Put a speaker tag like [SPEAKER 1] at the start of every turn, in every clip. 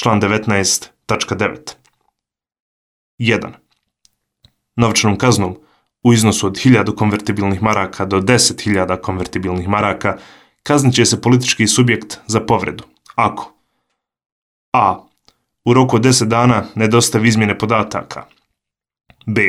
[SPEAKER 1] Član 19.9. 1. Novčanom kaznom u iznosu od 1000 konvertibilnih maraka do 10.000 konvertibilnih maraka kaznit će se politički subjekt za povredu ako a. U roku od 10 dana ne dostavi izmjene podataka, b.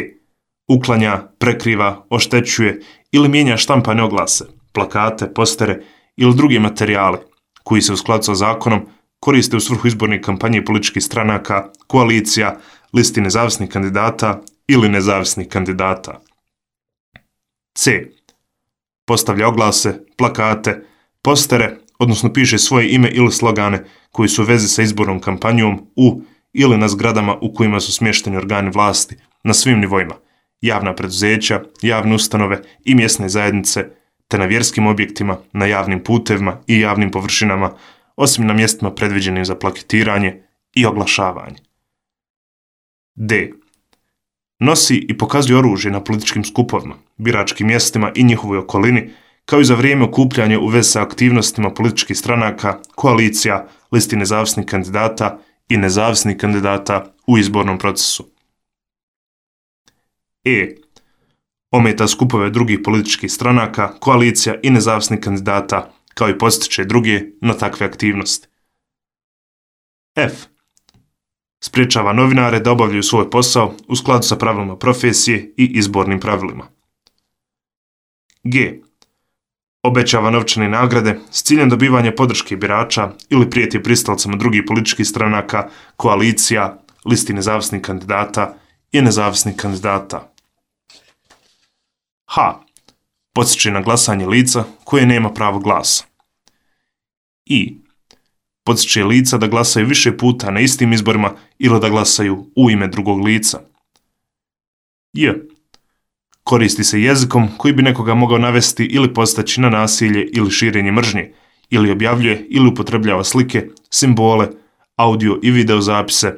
[SPEAKER 1] Uklanja, prekriva, oštećuje ili mijenja štampane oglase, plakate, postere ili druge materijale koji se u skladu sa zakonom koriste u svrhu izborne kampanje političkih stranaka, koalicija, listi nezavisnih kandidata ili nezavisnih kandidata. C. Postavlja oglase, plakate, postere, odnosno piše svoje ime ili slogane koji su u vezi sa izbornom kampanjom u ili na zgradama u kojima su smješteni organi vlasti na svim nivoima, javna preduzeća, javne ustanove i mjesne zajednice, te na vjerskim objektima, na javnim putevima i javnim površinama, osim na mjestima predviđenim za plaketiranje i oglašavanje. D. Nosi i pokazuje oružje na političkim skupovima, biračkim mjestima i njihovoj okolini, kao i za vrijeme okupljanja u vezi sa aktivnostima političkih stranaka, koalicija, listi nezavisnih kandidata i nezavisnih kandidata u izbornom procesu. E. Ometa skupove drugih političkih stranaka, koalicija i nezavisnih kandidata, kao i postiče druge na takve aktivnosti. F. Spriječava novinare da obavljaju svoj posao u skladu sa pravilima profesije i izbornim pravilima. G. Obećava novčane nagrade s ciljem dobivanja podrške birača ili prijeti pristalcama drugih političkih stranaka, koalicija, listi nezavisnih kandidata i nezavisnih kandidata. H. Podsjeća na glasanje lica koje nema pravo glasa. I. Podsjeća lica da glasaju više puta na istim izborima ili da glasaju u ime drugog lica. J. Koristi se jezikom koji bi nekoga mogao navesti ili postaći na nasilje ili širenje mržnje, ili objavljuje ili upotrebljava slike, simbole, audio i video zapise,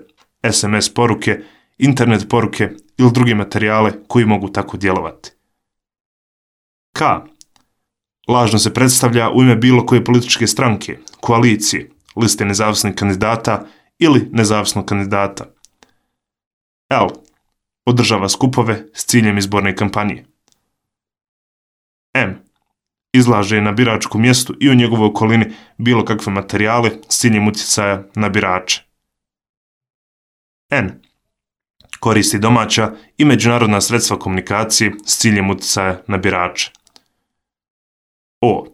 [SPEAKER 1] SMS poruke, internet poruke ili druge materijale koji mogu tako djelovati. K. Lažno se predstavlja u ime bilo koje političke stranke, koalicije, liste nezavisnih kandidata ili nezavisnog kandidata. L. Održava skupove s ciljem izborne kampanje. M. Izlaže na biračkom mjestu i u njegovoj okolini bilo kakve materijale s ciljem utjecaja na birače. N. Koristi domaća i međunarodna sredstva komunikacije s ciljem utjecaja na birače. O.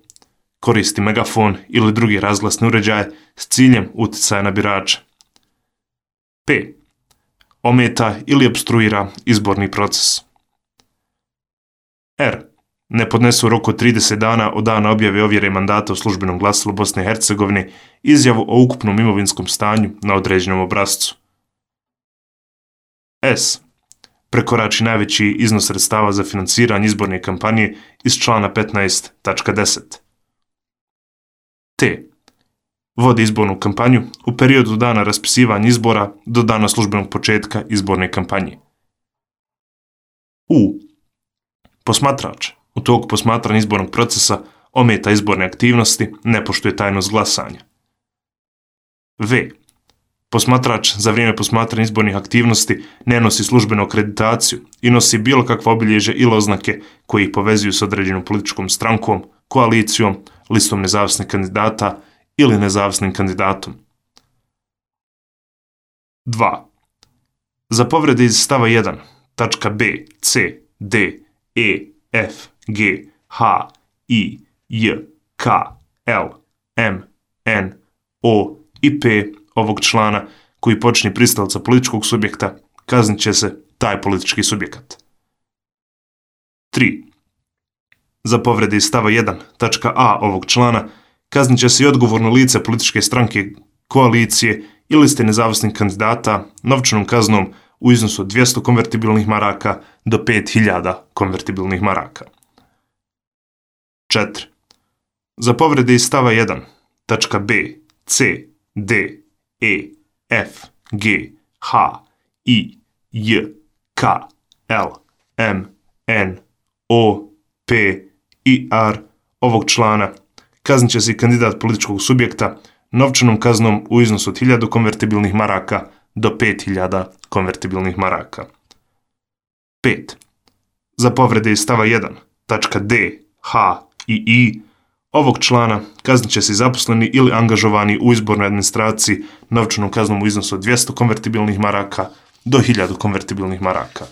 [SPEAKER 1] Koristi megafon ili drugi razglasni uređaj s ciljem utjecaja na birače. P. Ometa ili opstruira izborni proces. R. Ne podnesu u roku od 30 dana od dana objave ovjere mandata u službenom glasilu Bosne i Hercegovine izjavu o ukupnom imovinskom stanju na određenom obrascu. S. Prekorači najveći iznos sredstava za financiranje izborne kampanje iz člana 15.10. T. Vodi izbornu kampanju u periodu dana raspisivanja izbora do dana službenog početka izborne kampanje. U. Posmatrač u toku posmatranja izbornog procesa ometa izborne aktivnosti, ne poštuje tajnost glasanja. V. Posmatrač za vrijeme posmatranja izbornih aktivnosti ne nosi službenu akreditaciju i nosi bilo kakva obilježja ili oznake koji ih povezuju s određenom političkom strankom, koalicijom, listom nezavisnih kandidata ili nezavisnim kandidatom. 2. Za povrede iz stava 1, tačka b, c, d, e, f, g, h, i, j, k, l, m, n, o i p ovog člana koji počini pristalca političkog subjekta, kaznit će se taj politički subjekat. 3. Za povrede iz stava 1, tačka a ovog člana, kaznit će se i odgovorno lice političke stranke, koalicije ili liste nezavisnih kandidata novčanom kaznom u iznosu od 200 konvertibilnih maraka do 5.000 konvertibilnih maraka. 4. Za povrede iz stava 1, tačka b, c, d, e, f, g, h, i, j, k, l, m, n, o, p i r ovog člana kaznit će se i kandidat političkog subjekta novčanom kaznom u iznosu od 1000 konvertibilnih maraka do 5000 konvertibilnih maraka. 5. Za povrede iz stava 1, tačka D, H i I ovog člana kaznit će se zaposleni ili angažovani u izbornoj administraciji novčanom kaznom u iznosu od 200 konvertibilnih maraka do 1000 konvertibilnih maraka.